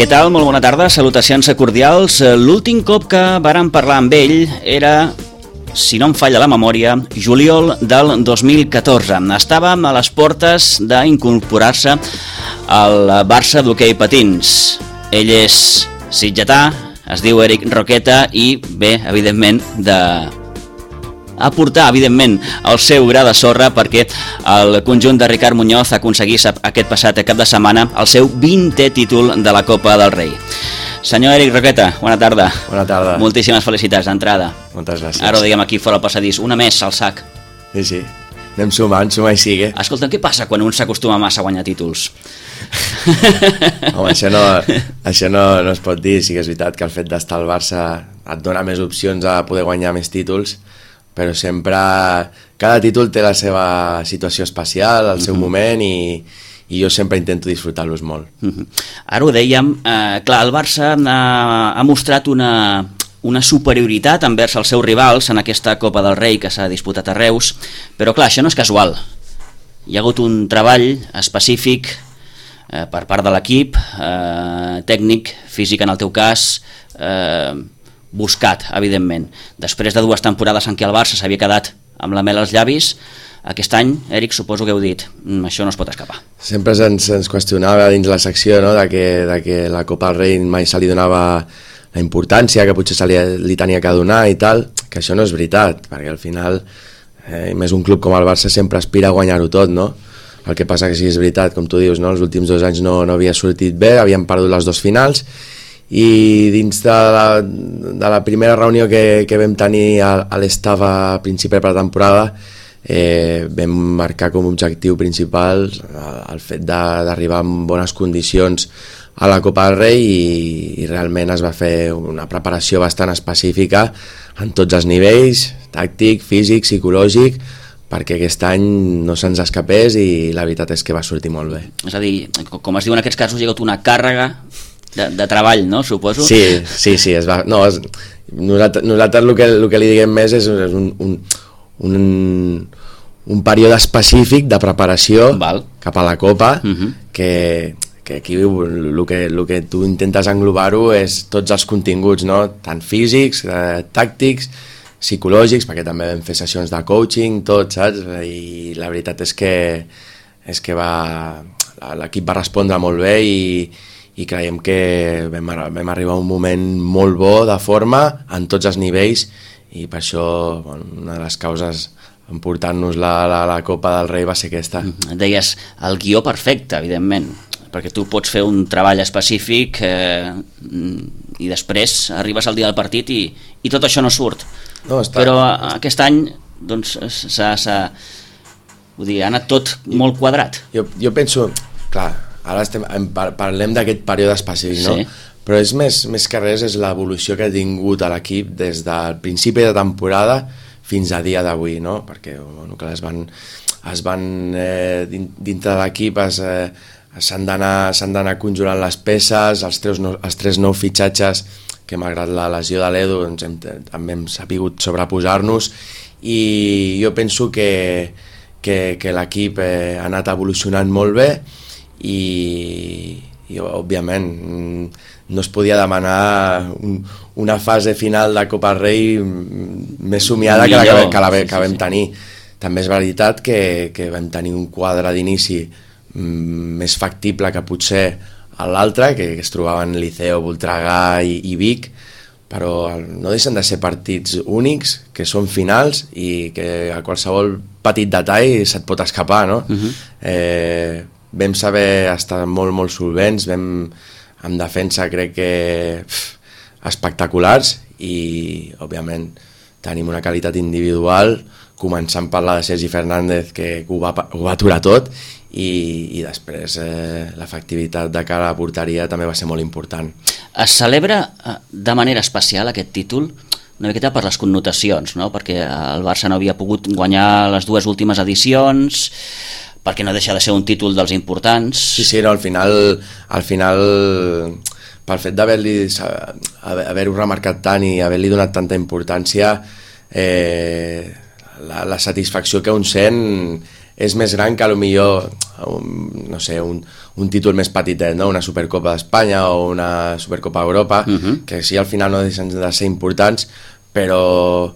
Què tal? Molt bona tarda, salutacions cordials. L'últim cop que vàrem parlar amb ell era, si no em falla la memòria, juliol del 2014. Estàvem a les portes d'incorporar-se al Barça d'hoquei patins. Ell és sitgetà, es diu Eric Roqueta i ve, evidentment, aportar, evidentment, el seu gra de sorra perquè el conjunt de Ricard Muñoz aconseguís aquest passat cap de setmana el seu 20è títol de la Copa del Rei. Senyor Eric Roqueta, bona tarda. Bona tarda. Moltíssimes felicitats d'entrada. Moltes gràcies. Ara ho diguem aquí fora al passadís, una més al sac. Sí. Anem sumant, suma i sigue. Escolta, què passa quan un s'acostuma massa a guanyar títols? Home, això no es pot dir. Sí que és veritat que el fet d'estar al Barça et dona més opcions a poder guanyar més títols, però sempre cada títol té la seva situació especial, el seu moment, i jo sempre intento disfrutar-los molt. Ara ho dèiem, clar, el Barça ha mostrat una superioritat envers els seus rivals en aquesta Copa del Rei que s'ha disputat a Reus, però clar, això no és casual. Hi ha hagut un treball específic per part de l'equip, tècnic, físic en el teu cas, buscat, evidentment. Després de 2 temporades en què el Barça s'havia quedat amb la mel als llavis, aquest any, Eric, suposo que heu dit, això no es pot escapar. Sempre ens qüestionava dins la secció, no?, de que la Copa del Rei mai se li donava la importància que potser li tenia que donar i tal, que això no és veritat, perquè al final, més un club com el Barça sempre aspira a guanyar-ho tot, no? El que passa que sí és veritat, com tu dius, no? Els últims 2 anys no havia sortit bé, havíem perdut les 2 finals, i dins de la primera reunió que vam tenir a l'estaf a principi de pretemporada, vam marcar com a objectiu principal el fet d'arribar en bones condicions a la Copa del Rei, i realment es va fer una preparació bastant específica en tots els nivells, tàctic, físic, psicològic, perquè aquest any no se'ns escapés, i la veritat és que va sortir molt bé. És a dir, com es diu en aquests casos, hi ha hagut una càrrega de treball, no? Suposo. Sí, nosaltres el que li diguem més és un període específic de preparació cap a la Copa, que aquí el que tu intentes englobar-ho és tots els continguts, no? Tant físics, tàctics, psicològics, perquè també vam fer sessions de coaching, tot, saps? I la veritat és que l'equip va respondre molt bé, i creiem que vam arribar a un moment molt bo de forma en tots els nivells, i per això una de les causes en portar-nos la Copa del Rei va ser aquesta. Deies, el guió perfecte, evidentment, perquè tu pots fer un treball específic i després arribes al dia del partit i tot això no surt. Però aquest any doncs, ha anat tot molt quadrat. Jo penso, clar, ara parlem d'aquest període específic, no? Sí. Però és més que res és l'evolució que ha tingut a l'equip des del principi de temporada fins a dia d'avui, no? Perquè dintre de l'equip s'han d'anar conjurant les peces, els 3 nous fitxatges que malgrat la lesió de l'Edu també hem sabut sobreposar-nos, i jo penso que l'equip ha anat evolucionant molt bé, i òbviament no es podia demanar una fase final de Copa Rei més somiada que vam tenir. També és veritat que vam tenir un quadre d'inici més factible que potser a l'altre, que es trobaven Liceo, Voltregà i Vic, però no deixen de ser partits únics, que són finals, i que a qualsevol petit detall se't pot escapar, no? Vam saber estar molt solvents, en defensa crec que espectaculars, i òbviament tenim una qualitat individual, començant per la de Sergi Fernández, que ho va aturar tot, i després l'efectivitat de cara a la porteria també va ser molt important. Es celebra de manera especial aquest títol una miqueta per les connotacions, no? Perquè el Barça no havia pogut guanyar les 2 últimes edicions, perquè no deixa de ser un títol dels importants. Sí, no, al final pel fet d'haver-ho remarcat tant i haver-li donat tanta importància, la satisfacció que un sent és més gran que potser no sé, un títol més petitet, no? Una Supercopa d'Espanya o una Supercopa d'Europa, que sí, al final no deixen de ser importants, però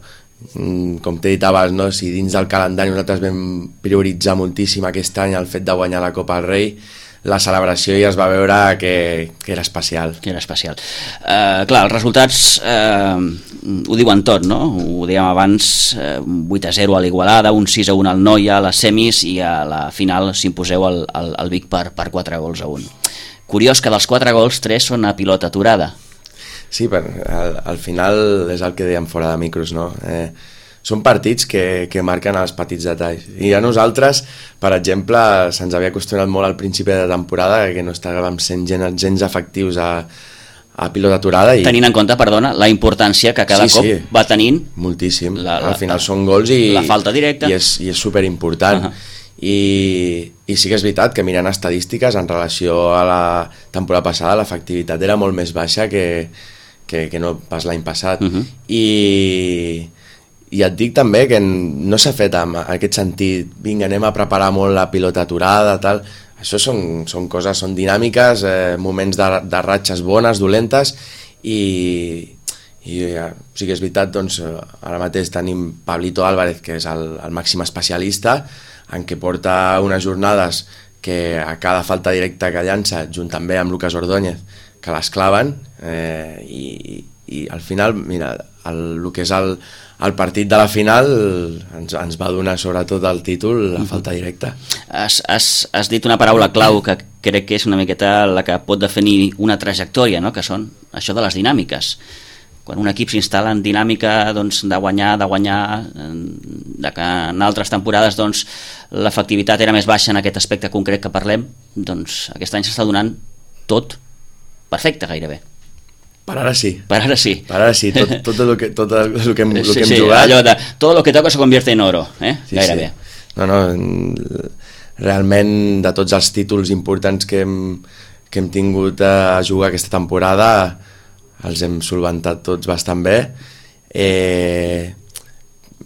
com t'he dit abans, no? Si dins del calendari nosaltres vam prioritzar moltíssim aquest any el fet de guanyar la Copa del Rei, la celebració ja es va veure que era especial. Que era especial. Clar, els resultats ho diuen tot, no? Ho dèiem abans, 8-0 a l'Igualada, un 6-1 al Noia, a les semis, i a la final s'imposeu al Vic per 4-1. Curiós que dels 4 gols, 3 són a pilota aturada. Sí, al final és el que dèiem fora de micros, no? Són partits que marquen els petits detalls. I a nosaltres, per exemple, se'ns havia acostumat molt al principi de temporada que no estàvem sent gens efectius a pilota aturada. Tenint en compte, perdona, la importància que cada cop va tenint. Moltíssim. Al final són gols i la falta directa. I és superimportant. I sí que és veritat que mirant estadístiques en relació a la temporada passada l'efectivitat era molt més baixa que no pas l'any passat. I et dic també que no s'ha fet en aquest sentit, vinga, anem a preparar molt la pilota aturada, tal. Això són coses, són dinàmiques, moments de ratxes bones, dolentes, i sí que és veritat, doncs, ara mateix tenim Pablito Álvarez, que és el màxim especialista, en què porta unes jornades que a cada falta directa que llança, junt també amb Lucas Ordóñez, que les claven, i al final, mira, el que és el partit de la final ens va donar sobretot el títol, la falta directa. Has dit una paraula clau que crec que és una miqueta la que pot definir una trajectòria, no? Que són això de les dinàmiques. Quan un equip s'instal·la en dinàmica, doncs, de guanyar, de que en altres temporades, doncs, l'efectivitat era més baixa en aquest aspecte concret que parlem, doncs aquest any s'està donant tot perfecte gairebé. Per ara sí. Per ara sí. Tot el que hem jugat. Allò de tot lo que toca se convierte en oro, gairebé. Sí. No, realment de tots els títols importants que hem tingut a jugar aquesta temporada els hem solventat tots bastant bé,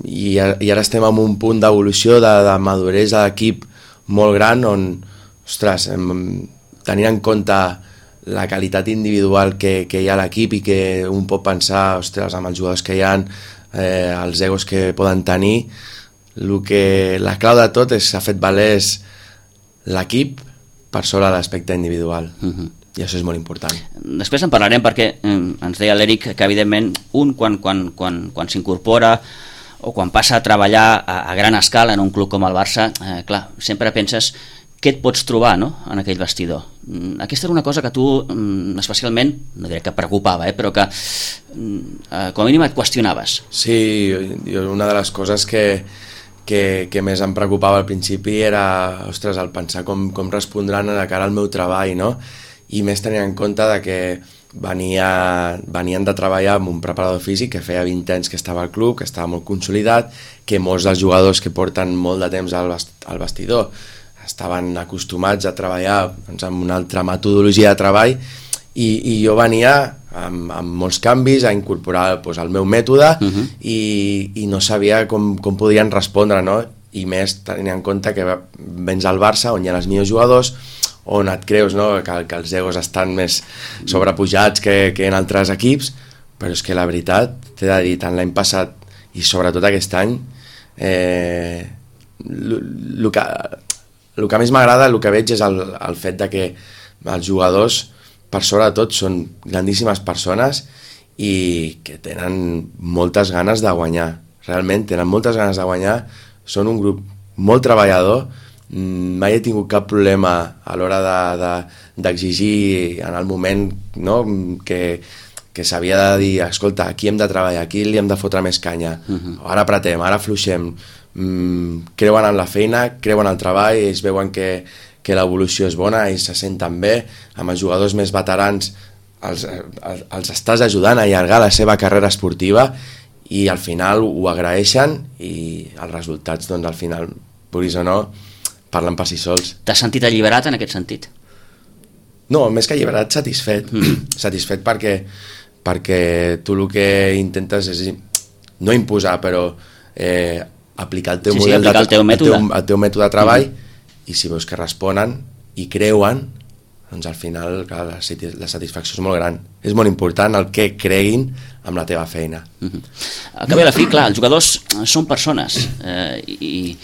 i ara estem en un punt d'evolució de maduresa d'equip molt gran on, ostres, tenint en compte la qualitat individual que hi ha a l'equip i que un pot pensar, ostres, amb els jugadors que hi ha, els egos que poden tenir, la clau de tot s'ha fet valer l'equip per sobre l'aspecte individual. I això és molt important. Després en parlarem perquè ens deia l'Eric que evidentment un quan s'incorpora o quan passa a treballar a gran escala en un club com el Barça, clar, sempre penses què et pots trobar, no?, en aquell vestidor. Aquesta era una cosa que tu especialment, no diré que preocupava, però que com a mínim et qüestionaves. Sí, una de les coses que més em preocupava al principi era, ostres, el pensar com respondran de cara al meu treball, no? I més tenint en compte de que venien de treballar amb un preparador físic que feia 20 anys que estava al club, que estava molt consolidat, que molts dels jugadors que porten molt de temps al vestidor estaven acostumats a treballar amb una altra metodologia de treball, i jo venia amb molts canvis a incorporar el meu mètode, i no sabia com podien respondre, no? I més tenint en compte que vens al Barça on hi ha els millors jugadors, on et creus, no?, que els egos estan més sobrepujats que en altres equips, però és que la veritat, t'he de dir, tant l'any passat i sobretot aquest any, el que més m'agrada, el que veig és el fet de que els jugadors, per sobretot, són grandíssimes persones i que tenen moltes ganes de guanyar. Realment tenen moltes ganes de guanyar, són un grup molt treballador, mai he tingut cap problema a l'hora d'exigir en el moment, no?, que s'havia de dir, escolta, aquí hem de treballar, aquí li hem de fotre més canya, ara apretem, ara afluixem, creuen en la feina, creuen en el treball, ells veuen que l'evolució és bona, ells se senten bé, amb els jugadors més veterans els estàs ajudant a allargar la seva carrera esportiva i al final ho agraeixen i els resultats, doncs al final, vulguis o no, parlen per si sols. T'has sentit alliberat en aquest sentit? No, més que alliberat, satisfet. Satisfet perquè tu el que intentes és no imposar, però aplicar el teu model, el teu mètode de treball, i si veus que responen i creuen, doncs al final clar, la satisfacció és molt gran. És molt important el que creguin amb la teva feina. Al cap i a la fi, clar, els jugadors són persones i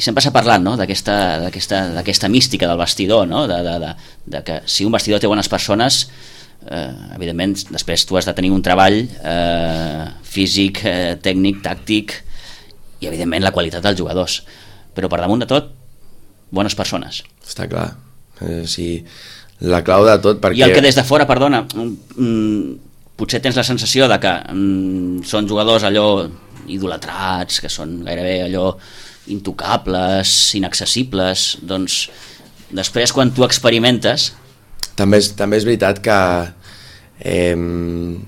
sempre s'ha parlat, no?, d'aquesta mística del vestidor, no?, de que si un vestidor té bones persones, evidentment després tu has de tenir un treball físic, tècnic, tàctic i evidentment la qualitat dels jugadors, però per damunt de tot bones persones. Està clar. Sí, la clau de tot perquè... I el que des de fora, perdona, potser tens la sensació de que són jugadors allò idolatrats, que són gairebé allò intocables, inaccessibles, doncs després quan tu experimentes... També és veritat que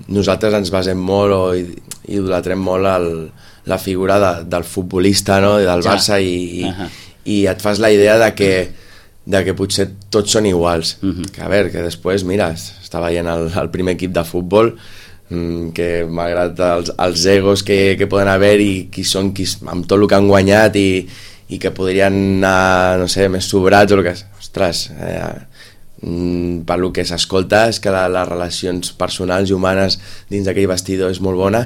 nosaltres ens basem molt o idolatrem molt la figura del futbolista, no?, del Barça i et fas la idea de que potser tots són iguals. Que a veure, que després, mira, està veient el primer equip de futbol, que malgrat els egos que poden haver i qui són amb tot el que han guanyat i que podrien anar, no sé, més sobrats o el que... Ostres, per lo que s'escolta és que les relacions personals i humanes dins d'aquell vestidor és molt bona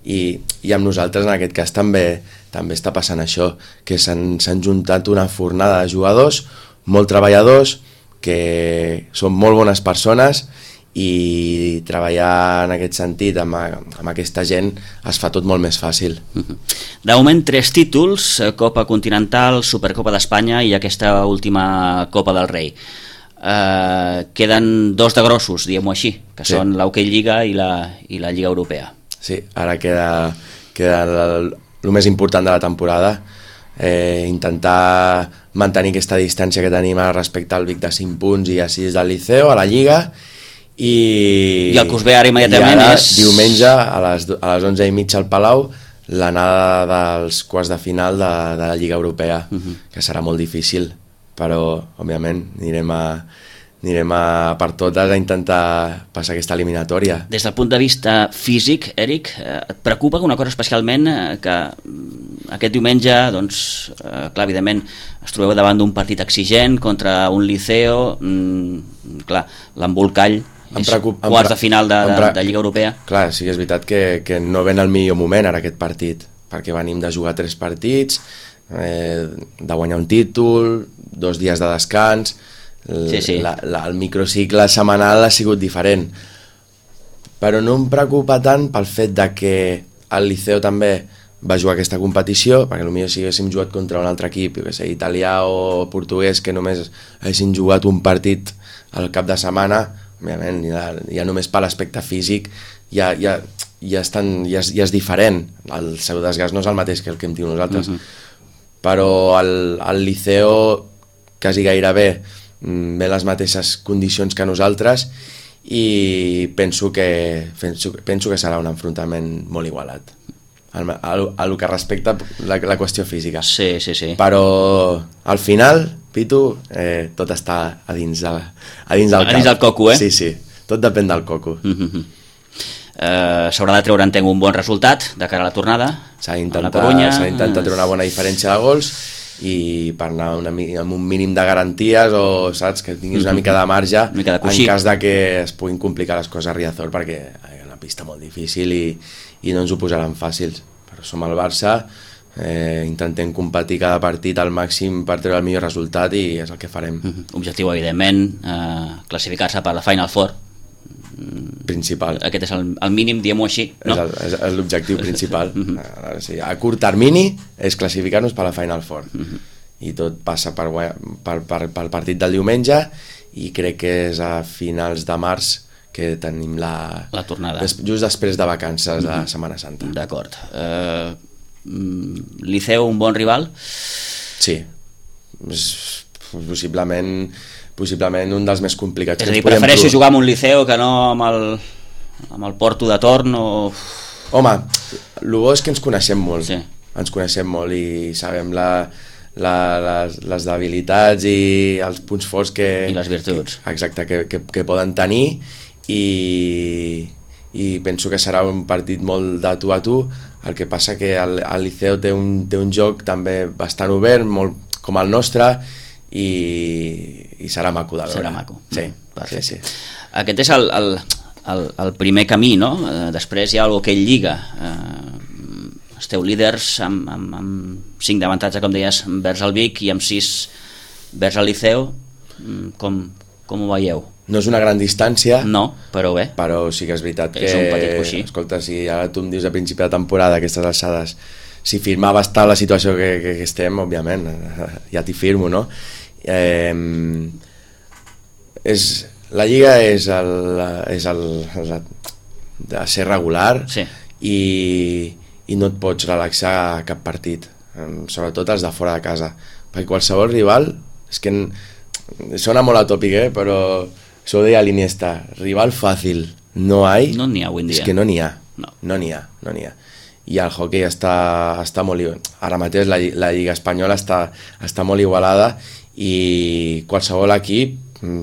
i amb nosaltres en aquest cas també està passant això, que s'han juntat una fornada de jugadors molt treballadors, que són molt bones persones i treballar en aquest sentit amb aquesta gent es fa tot molt més fàcil. De moment 3 títols, Copa Continental, Supercopa d'Espanya i aquesta última Copa del Rei. Queden 2 de grossos, diguem-ho així, que són l'Hockey Lliga i la Lliga Europea. Sí, ara queda el més important de la temporada, intentar mantenir aquesta distància que tenim respecte al Vic de 5 punts i a 6 del Liceo, a la Lliga, i el que us ve ara immediatament és... diumenge a les 11:30 al Palau l'anada dels quarts de final de la Lliga Europea, que serà molt difícil, però òbviament anirem per totes a intentar passar aquesta eliminatòria. Des del punt de vista físic, Eric, et preocupa una cosa especialment que aquest diumenge, doncs, clar, evidentment es trobeu davant d'un partit exigent contra un Liceo, clar, l'embolcall és quarts de final de Lliga Europea. Clar, sí que és veritat que no ven el millor moment ara aquest partit, perquè venim de jugar 3 partits, de guanyar un títol, 2 dies de descans, el microcicle setmanal ha sigut diferent, però no em preocupa tant pel fet de que el Liceo també va jugar aquesta competició, perquè potser si haguéssim jugat contra un altre equip, que sé, italià o portuguès, que només haguessin jugat un partit al cap de setmana, òbviament ja només per l'aspecte físic ja és diferent, el seu desgast no és el mateix que el que hem tingut nosaltres, però el Liceo quasi gairebé ve les mateixes condicions que nosaltres i penso que serà un enfrontament molt igualat a lo que respecta la qüestió física. Sí. Però al final, Pitu, tot està a dins del cap. A dins del coco, eh? Sí, tot depèn del coco. S'haurà de treure, entenc, un bon resultat de cara a la tornada. S'ha d'intentar treure una bona diferència de gols i per anar amb un mínim de garanties o, saps, que tinguis una mica de marge en cas de que es puguin complicar les coses a Riazor, perquè és una pista molt difícil i no ens ho posaran fàcils, però som el Barça, intentem competir cada partit al màxim per treure el millor resultat i és el que farem. Objectiu, evidentment, classificar-se per la Final Four principal. Aquest és el mínim, diguem-ho així, no? És l'objectiu principal. A curt termini és classificar-nos per la Final Four i tot passa pel partit del diumenge i crec que és a finals de març que tenim la tornada, just després de vacances de Setmana Santa. D'acord. Liceu, un bon rival? Sí, possiblement un dels més complicats. És a dir, prefereixo jugar amb un Liceu que no amb el Porto de torn o... Home, el bo és que ens coneixem molt, sí. Ens coneixem molt i sabem les debilitats i els punts forts i les virtuts que poden tenir i penso que serà un partit molt de tu a tu. El que passa que el Liceu té un joc també bastant obert, molt com el nostre, i serà maco de veure. Serà maco. Sí, perfecte. sí. Aquest és el primer camí, no? Després hi ha l'hoquei Lliga. Esteu líders amb 5 d'avantatge, com deies, vers el Vic, i amb 6 vers el Liceu. Com ho veieu? No és una gran distància, no, però bé. Però sí que és veritat que... És un petit coixí. Escolta, si ara tu em dius a principi de temporada, aquestes alçades, si firmava estar la situació que estem, òbviament, ja t'hi firmo, no? La Lliga és de ser regular, sí, i no et pots relaxar a cap partit, sobretot els de fora de casa, perquè qualsevol rival, és que sona molt atòpic, però això ho deia l'Iniesta, rival fàcil no n'hi ha avui en dia, és que no n'hi ha. I el hoquei està molt... Ara mateix la Lliga Espanyola està molt igualada i qualsevol equip,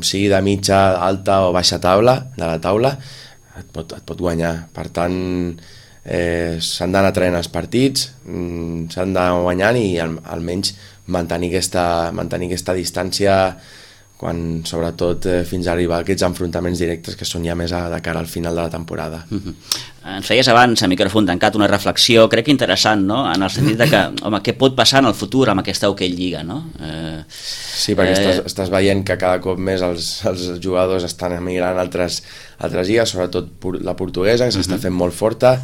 sigui de mitja, alta o baixa taula, de la taula, et pot guanyar. Per tant, s'han d'anar traient els partits, s'han d'anar guanyant i almenys mantenir aquesta distància quan, sobretot, fins a arribar a aquests enfrontaments directes que són ja més de cara al final de la temporada. Ens feies abans, a micròfon tancat, una reflexió, crec que interessant, no? En el sentit de que, home, què pot passar en el futur amb aquesta hoquei Lliga, no? Sí, perquè estàs veient que cada cop més els jugadors estan emigrant a altres lligues, sobretot la portuguesa, que s'està fent molt forta,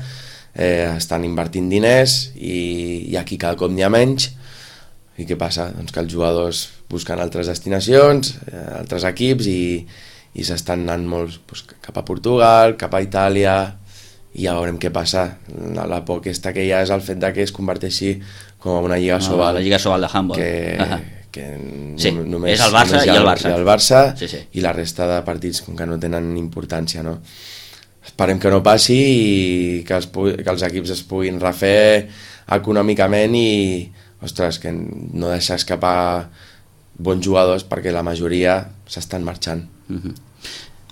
estan invertint diners i aquí cada cop n'hi ha menys. I què passa? Doncs que els jugadors busquen altres destinacions, altres equips i s'estan anant molts cap a Portugal, cap a Itàlia, i ja veurem què passa. La por aquesta que hi ha és el fet que es converteixi com a una Lliga Sobal. La Lliga Sobal de handball. Que sí, només, és el Barça i el Barça. I el Barça, sí. I la resta de partits com que no tenen importància, no? Esperem que no passi i que els equips es puguin refer econòmicament i ostres, que no deixar escapar bons jugadors perquè la majoria s'estan marxant.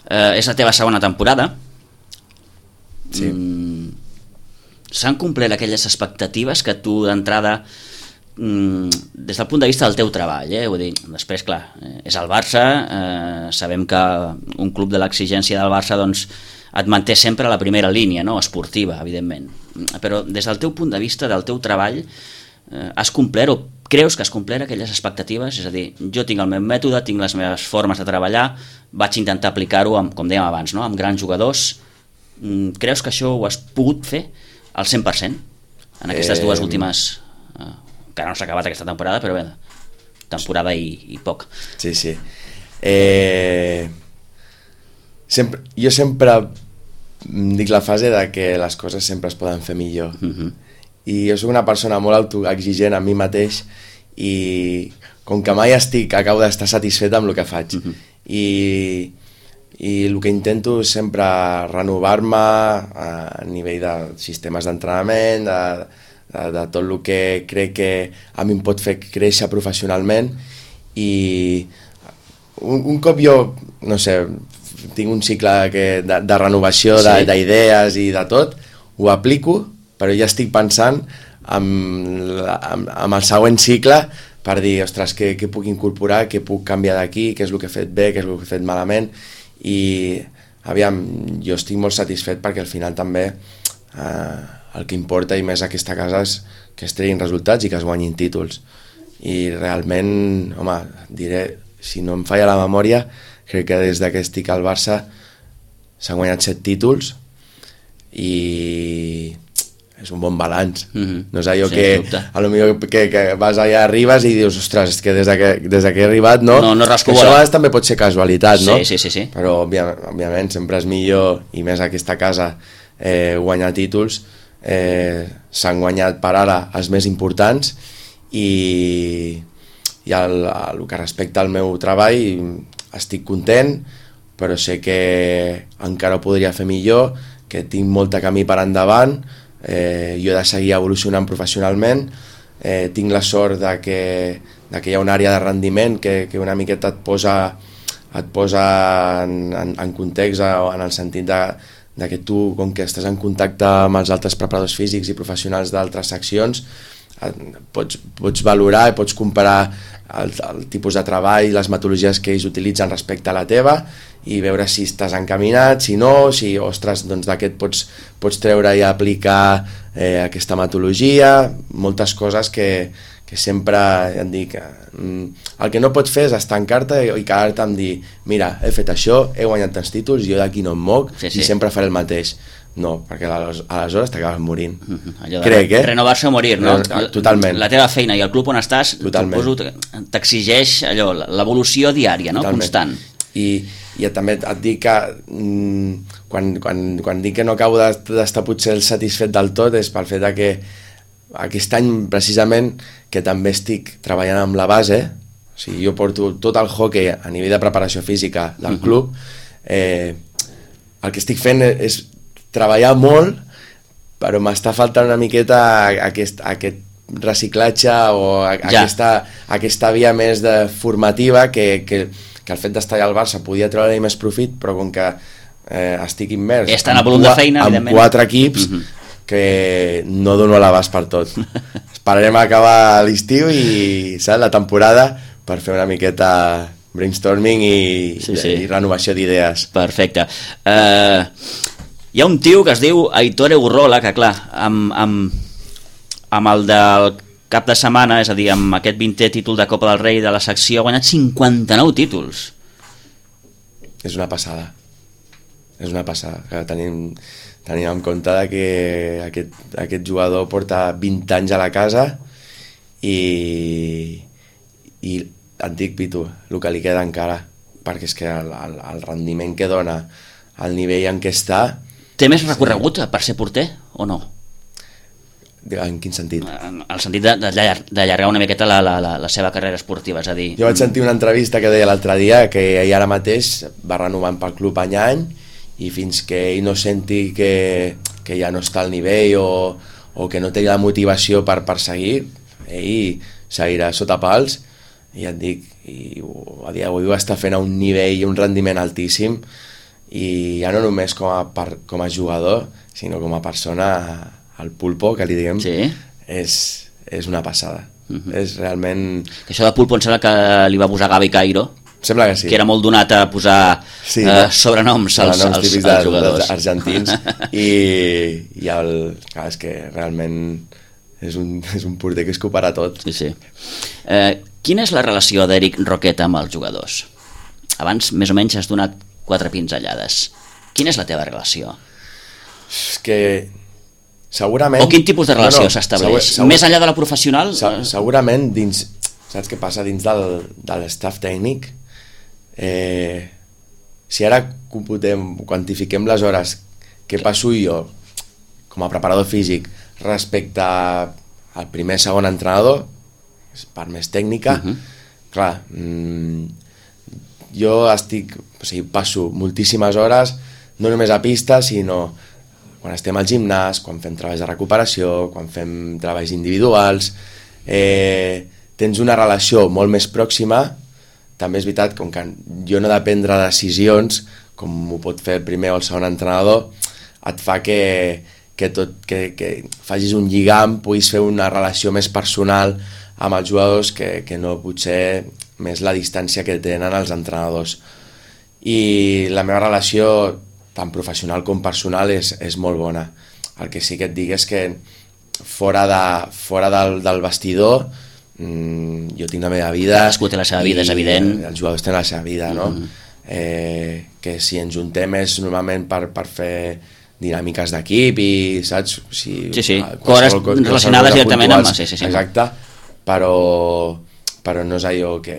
És la teva segona temporada. Sí. S'han complert aquelles expectatives que tu d'entrada, des del punt de vista del teu treball, vull dir, després clar, és el Barça, sabem que un club de l'exigència del Barça doncs et manté sempre a la primera línia, no? Esportiva, evidentment, però des del teu punt de vista, del teu treball, has complert o creus que has complert aquelles expectatives? És a dir, jo tinc el meu mètode, tinc les meves formes de treballar, vaig intentar aplicar-ho, com dèiem abans, no? Amb grans jugadors. Creus que això ho has pogut fer al 100% en aquestes dues últimes, que no s'ha acabat aquesta temporada, però bé, temporada i poc. Sí. Jo sempre dic la fase de que les coses sempre es poden fer millor. I jo soc una persona molt autoexigent amb mi mateix i com que mai acabo d'estar satisfet amb el que faig. I el que intento és sempre renovar-me a nivell de sistemes d'entrenament, de tot el que crec que a mi em pot fer créixer professionalment, i un cop jo, no sé, tinc un cicle de renovació d'idees i de tot, ho aplico, però ja estic pensant amb el següent cicle per dir, ostres, què puc incorporar, què puc canviar d'aquí, què és el que he fet bé, què és el que he fet malament, i aviam, jo estic molt satisfet perquè al final també el que importa i més a aquesta casa és que es treguin resultats i que es guanyin títols, i realment, home, diré, si no em falla la memòria, crec que des que estic al Barça s'han guanyat 7 títols i és un bon balanç. No és allò que a lo millor que vas allà, arribes i dius, ostres, és que des que he arribat, no? No rasco això a vegades també pot ser casualitat, no? Sí. Però òbviament sempre és millor, i més aquesta casa, guanyar títols. S'han guanyat per ara els més importants, i el que respecta al meu treball estic content, però sé que encara ho podria fer millor, que tinc molt camí per endavant. Jo he de seguir evolucionant professionalment, tinc la sort de que hi ha una àrea de rendiment que una miqueta et posa en context, en el sentit de que tu, com que estàs en contacte amb els altres preparadors físics i professionals d'altres seccions, pots valorar i pots comparar el tipus de treball, les metodologies que ells utilitzen respecte a la teva i veure si estàs encaminat, si no, si, ostres, doncs d'aquest pots treure i aplicar aquesta metodologia, moltes coses que sempre em dic, el que no pots fer és estancar-te i quedar-te amb dir, mira, he fet això, he guanyat tants títols, jo d'aquí no em moc i sempre faré el mateix. No, perquè aleshores t'acabes morint. Crec, renovar-se o morir, no? Totalment. La teva feina i el club on estàs t'exigeix allò, l'evolució diària, no? Constant. I també et dic que quan dic que no acabo d'estar potser satisfet del tot és pel fet que aquest any precisament que també estic treballant amb la base, o sigui, jo porto tot el hockey a nivell de preparació física del club, el que estic fent és treballar molt, però m'està faltant una miqueta aquest reciclatge o aquesta via més formativa que el fet d'estar allà al Barça podia treure més profit, però com que estic immers amb 4 equips que no dono l'abast per tot. Esperarem a acabar l'estiu i la temporada per fer una miqueta brainstorming i renovació d'idees. Perfecte. Hi ha un tio que es diu Aitor Egurrola, que clar, amb el del cap de setmana, és a dir, amb aquest 20è títol de Copa del Rei de la secció, ha guanyat 59 títols. És una passada. És una passada. Tenim en compte que aquest jugador porta 20 anys a la casa i et dic, Pitu, el que li queda encara, perquè és que el rendiment que dona, el nivell en què està... Té més recorregut per ser porter o no? En quin sentit? En el sentit d'allargar una miqueta la seva carrera esportiva, és a dir... Jo vaig sentir una entrevista que deia l'altre dia que ell ara mateix va renovant pel club any a any i fins que ell no senti que ja no està al nivell o que no té la motivació per seguir, ell seguirà sota pals i et dic, a dia d'avui ho està fent a un nivell i un rendiment altíssim i ja no només com a jugador, sinó com a persona, el pulpo, que li diguem, és una passada. És realment... Això de pulpo em sembla que li va posar Gavi Cairo, sembla que sí. Que era molt donat a posar sobrenoms als jugadors. Dels argentins i clar, és que realment és un porter que es coparà tot. Sí. Quina és la relació d'Eric Roqueta amb els jugadors? Abans més o menys has donat 4 pinzellades. Quina és la teva relació? És que segurament... O quin tipus de relació s'estableix? Més enllà de la professional? Segurament dins... Saps què passa? Dins de l'estaf tècnic, si ara quantifiquem les hores que passo jo com a preparador físic respecte al primer segon entrenador, és part més tècnica, clar, jo passo moltíssimes hores no només a pista, sinó quan estem al gimnàs, quan fem treballs de recuperació, quan fem treballs individuals, tens una relació molt més pròxima. També és veritat, com que jo no he de prendre decisions, com ho pot fer el primer o el segon entrenador, et fa que facis un lligam, puguis fer una relació més personal amb els jugadors que no potser més la distància que tenen els entrenadors. I la meva relació, tant professional com personal, és molt bona. El que sí que et dic és que fora del vestidor, jo tinc la meva vida, cadascú té la seva vida, és evident, els jugadors tenen la seva vida, no? Que si ens juntem és normalment per fer dinàmiques d'equip i saps? Sí, coses relacionades directament amb... Exacte, però no és allò que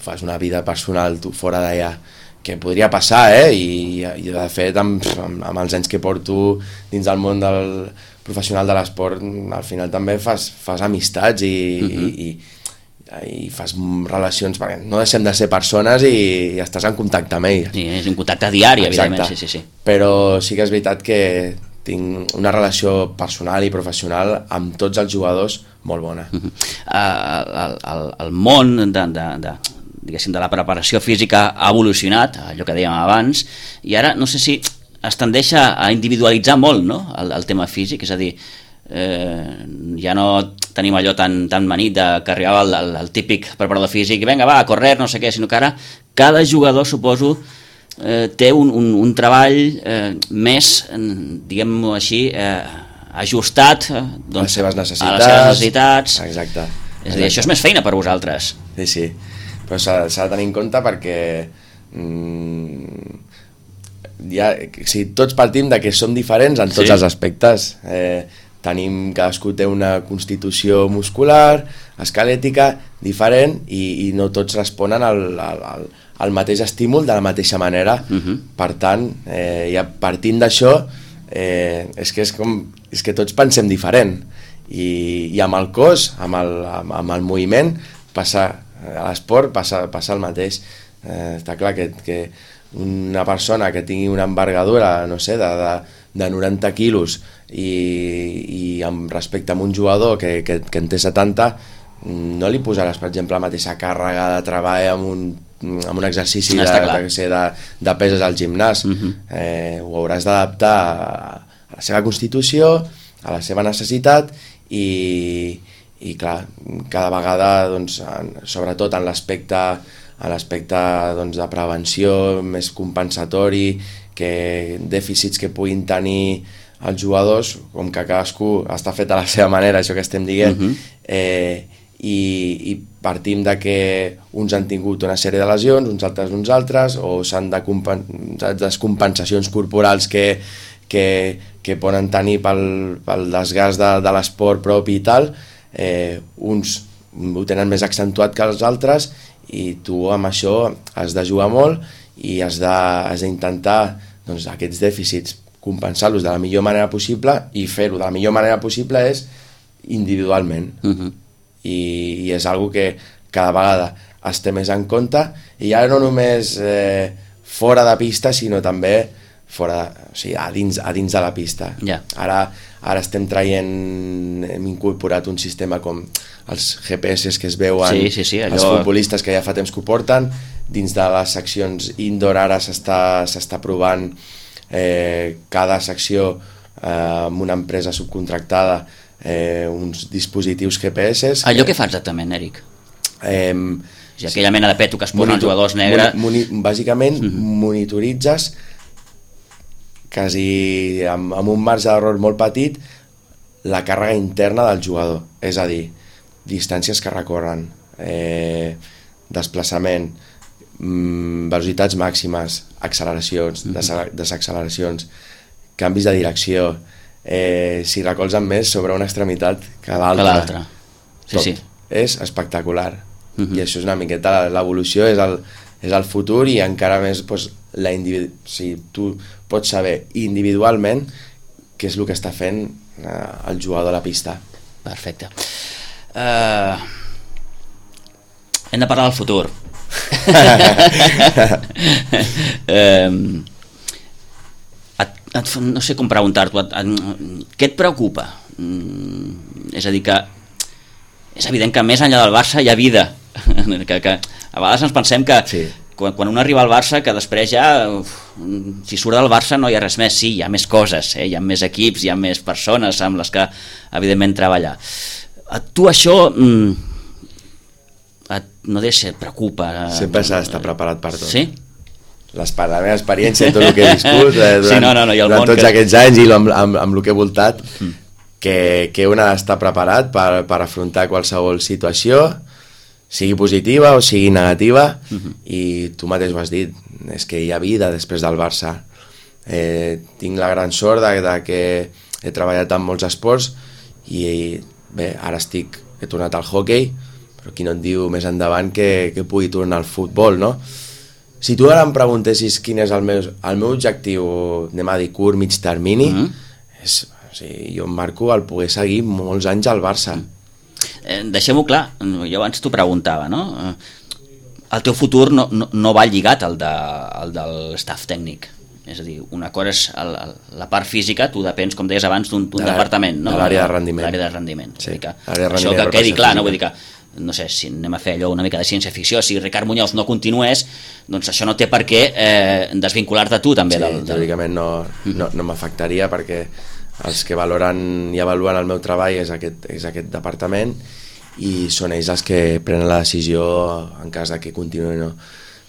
fas una vida personal tu fora d'allà, que podria passar, i de fet amb els anys que porto dins del món del professional de l'esport, al final també fas amistats i fas relacions, perquè no deixem de ser persones i estàs en contacte amb ells. Sí, és un contacte diari, evidentment. Sí. Però sí que és veritat que tinc una relació personal i professional amb tots els jugadors molt bona. El món diguéssim, de la preparació física ha evolucionat, allò que dèiem abans, i ara no sé si es tendeix a individualitzar molt, no?, el tema físic, és a dir, ja no tenim allò tan manit que arribava el típic preparador físic i vinga, va, a correr, no sé què, sinó que ara cada jugador, suposo, té un treball més, diguem-ho així, ajustat a les seves necessitats. A les seves necessitats. Exacte. És a dir, això és més feina per vosaltres. Sí, però s'ha de tenir en compte perquè tots partim de que som diferents en tots els aspectes. Cadascú té una constitució muscular, esquelètica, diferent i no tots responen al mateix estímul de la mateixa manera. Per tant, ja partint d'això, és que tots pensem diferent i amb el cos, amb el moviment, a l'esport passa el mateix. Està clar que una persona que tingui una envergadura, no sé, de 90 quilos i amb respecte a un jugador que en té 70, no li posaràs, per exemple, la mateixa càrrega de treball amb un exercici de peses al gimnàs. Ho hauràs d'adaptar a la seva constitució, a la seva necessitat i clar, cada vegada, doncs, sobretot en l'aspecte de prevenció, més compensatori, que dèficits que puguin tenir els jugadors, com que cadascú està fet a la seva manera, això que estem dient, i partim de que uns han tingut una sèrie de lesions, uns altres, o s'han de descompensacions corporals que poden tenir pel desgast de l'esport propi i tal, uns ho tenen més accentuat que els altres i tu amb això has de jugar molt i has d'intentar, doncs, aquests dèficits compensar-los de la millor manera possible, i fer-ho de la millor manera possible és individualment. I és algo que cada vegada es té més en compte, i ja no només fora de pista, sinó també a dins de la pista. Ara estem hem incorporat un sistema com els GPS que es veuen, els futbolistes que ja fa temps que ho porten, dins de les seccions indoor ara s'està provant cada secció amb una empresa subcontractada uns dispositius GPS. Allò què fa exactament, Eric? Aquella mena de peto que es posen els jugadors negre. Bàsicament monitoritzes quasi amb un marge d'error molt petit la càrrega interna del jugador, és a dir, distàncies que recorren, desplaçament, velocitats màximes, acceleracions, desacceleracions, canvis de direcció, si recolzen més sobre una extremitat que l'altra. És espectacular. I això és una miqueta l'evolució, és el futur, i encara més tu pots saber individualment què és el que està fent el jugador a la pista. Perfecte. Hem de parlar del futur. No sé com preguntar-t'ho. Què et preocupa? És a dir, que és evident que més enllà del Barça hi ha vida, que a vegades ens pensem que quan un arriba al Barça, que després ja si surt del Barça no hi ha res més. Sí, hi ha més coses, hi ha més equips, hi ha més persones amb les que evidentment treballar. A tu això no et preocupa? Sempre s'ha d'estar preparat per tot. Sí? La meva experiència, tot el que he viscut durant tots aquests anys i amb el que he voltat, que un ha d'estar preparat per afrontar qualsevol situació, sigui positiva o sigui negativa, i tu mateix ho has dit, és que hi ha vida després del Barça. Tinc la gran sort de que he treballat en molts esports i bé, ara he tornat al hoquei, però qui no et diu més endavant que pugui tornar al futbol, no? Si tu ara em preguntessis quin és el meu objectiu, anem a dir curt, mig termini, jo em marco el poder seguir molts anys al Barça. Deixem-ho clar, jo abans t'ho preguntava, no? El teu futur no va lligat al del staff tècnic, és a dir, una cosa és la part física, tu depens, com deies abans, d'un departament, no? De l'àrea de rendiment. L'àrea de rendiment. Sí, això que quedi clar, no? Vull dir que, no sé, si anem a fer allò una mica de ciència-ficció, si Ricard Muñoz no continués, doncs això no té per què desvincular-te tu també. Sí, teòricament no m'afectaria, perquè Els que valoren i avaluen el meu treball és aquest departament, i són ells els que prenen la decisió en cas de que continuï o no.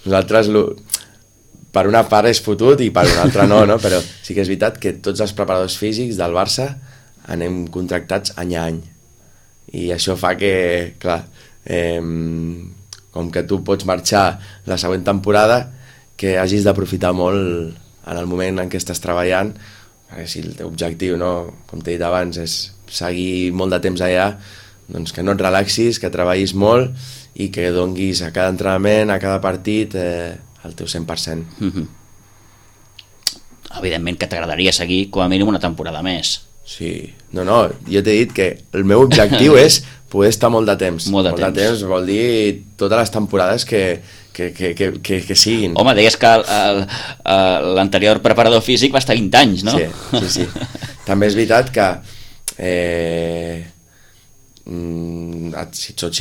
Nosaltres, per una part és fotut i per una altra no, però sí que és veritat que tots els preparadors físics del Barça anem contractats any a any, i això fa que, clar, com que tu pots marxar la següent temporada, que hagis d'aprofitar molt en el moment en què estàs treballant, perquè si el teu objectiu, no, com t'he dit abans, és seguir molt de temps allà, doncs que no et relaxis, que treballis molt i que donguis a cada entrenament, a cada partit, el teu 100%. Evidentment que t'agradaria seguir com a mínim una temporada més. Sí, no, jo t'he dit que el meu objectiu és poder estar molt de temps. Molt de temps vol dir totes les temporades que siguin. Home, deies que l'anterior preparador físic va estar 20 anys, no? Sí. També és veritat que si soc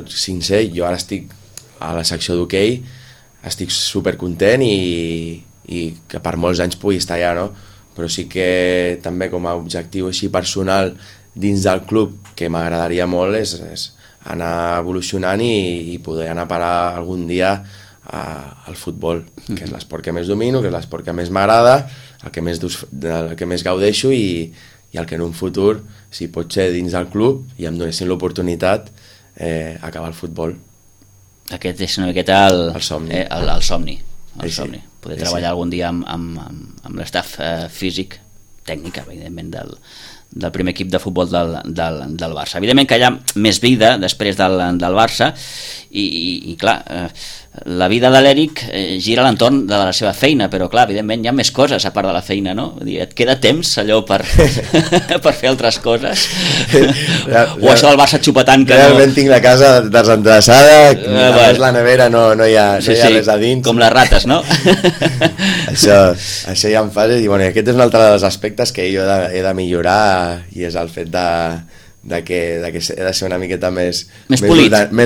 sincer, jo ara estic a la secció d'hoquei, estic supercontent i que per molts anys pugui estar allà, no? Però sí que també com a objectiu així personal dins del club, que m'agradaria molt, és anar evolucionant i poder anar a parar algun dia al futbol, que és l'esport que més domino, que és l'esport que més m'agrada, el que més gaudeixo, i el que en un futur, si pot ser dins del club i em donessin l'oportunitat, acabar el futbol. Aquest és una miqueta el somni. El somni. Poder treballar algun dia amb l'estaf físic, tècnic, evidentment, del primer equip de futbol del Barça. Evidentment que hi ha més vida després del Barça i clar, la vida de l'Eric gira a l'entorn de la seva feina, però clar, evidentment hi ha més coses a part de la feina, no? Et queda temps allò per fer altres coses? O això del Barça xupetant que realment tinc la casa desendreçada, a la nevera no hi ha res a dins. Com les rates, no? Això ja em fa, i bueno, aquest és un altre dels aspectes que jo he de millorar, i és el fet de que he de ser una miqueta més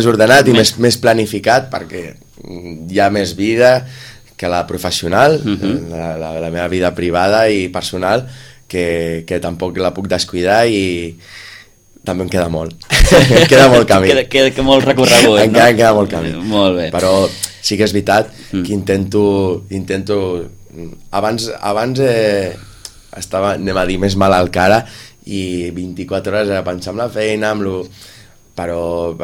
ordenat i més planificat, perquè hi ha més vida que la professional, la meva vida privada i personal, que tampoc la puc descuidar, i també em queda molt. Em queda molt camí. Queda molt recorregut, encara em queda molt camí. Molt bé. Però sí que és veritat que intento abans estava, anem a dir, més mal al cara, i 24 hores era pensar en la feina, però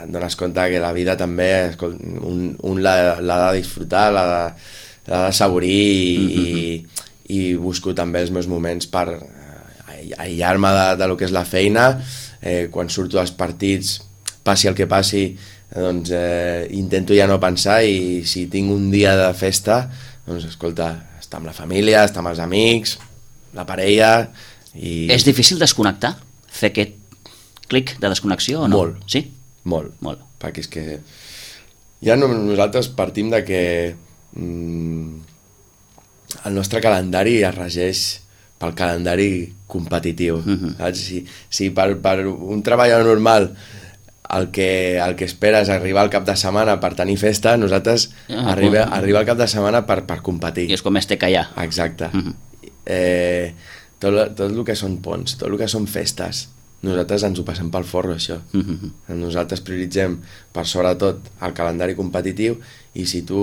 et dones compte que la vida també un l'ha de disfrutar, l'ha de assaborir, i busco també els meus moments per aïllar-me de lo que és la feina. Quan surto dels partits, passi el que passi, doncs intento ja no pensar, i si tinc un dia de festa, doncs escolta, estar amb la família, estar amb els amics, la parella. És difícil desconnectar? Fer aquest clic de desconnexió o no? Molt. Sí? Molt. Perquè és que ja nosaltres partim de que el nostre calendari es regeix pel calendari competitiu. Saps? Si per un treballador normal el que espera és arribar al cap de setmana per tenir festa, nosaltres arriba al cap de setmana per competir. I és com més té que hi ha. Exacte. Tot el que són ponts, tot el que són festes, nosaltres ens ho passem pel forro, això. Nosaltres prioritzem per sobretot el calendari competitiu, i si tu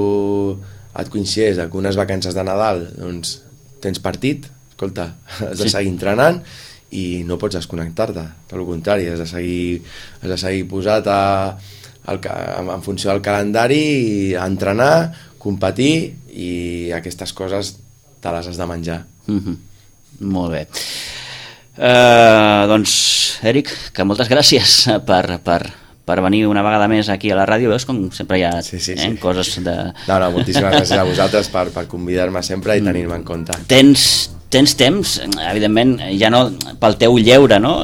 et coincideix amb unes vacances de Nadal, doncs tens partit, escolta, has de seguir entrenant i no pots desconnectar-te, tot el contrari, has de seguir posat en funció del calendari, a entrenar, competir, i aquestes coses te les has de menjar. Molt bé. Doncs, Eric, que moltes gràcies per venir una vegada més aquí a la ràdio. Veus com sempre hi ha coses de... No, moltíssimes gràcies a vosaltres per convidar-me sempre i tenir-me en compte. Tens temps, evidentment, ja no pel teu lleure, no?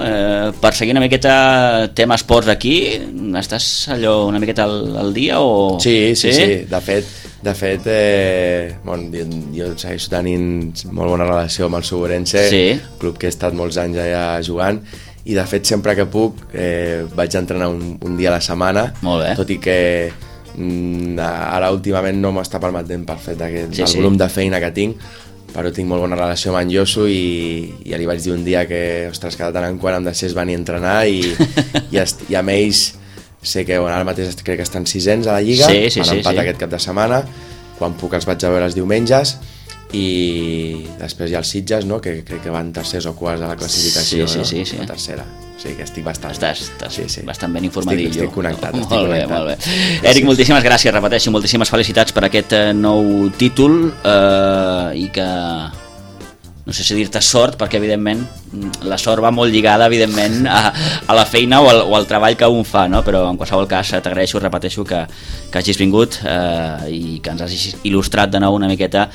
Per seguir una miqueta tema esports aquí, estàs allò una miqueta al dia o...? Sí. De fet, jo segueixo tenint molt bona relació amb el Suborense, club que he estat molts anys allà jugant, i de fet sempre que puc vaig entrenar un dia a la setmana, tot i que ara últimament no m'està permetent pel fet del volum de feina que tinc, però tinc molt bona relació amb en Josu i ja li vaig dir un dia que, ostres, que de tant en quant em deixés venir a entrenar i amb ells sé que ara mateix crec que estan 600 a la Lliga, han empatat aquest cap de setmana, quan puc els vaig a veure els diumenges, i després hi ha els Sitges, no? Que crec que van tercers o quarts a la classificació, la tercera. O sigui que estic bastant... Estàs bastant ben informadillo. Estic connectat. Molt bé. Eric, moltíssimes gràcies, repeteixo, moltíssimes felicitats per aquest nou títol i que... No sé si dir-te sort, perquè evidentment la sort va molt lligada evidentment a la feina o al treball que un fa, no? Però en qualsevol cas t'agraeixo, repeteixo, que hagis vingut i que ens hagis il·lustrat de nou una miqueta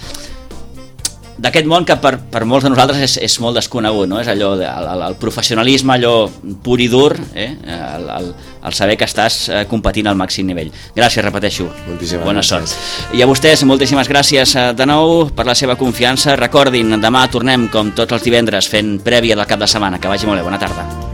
d'aquest món que per molts de nosaltres és molt desconegut, no? És allò, el professionalisme, allò pur i dur, el saber que estàs competint al màxim nivell. Gràcies, repeteixo. Moltíssimes bona sort. I a vostès, moltíssimes gràcies de nou per la seva confiança. Recordin, demà tornem com tots els divendres fent prèvia del cap de setmana. Que vagi molt bé, bona tarda.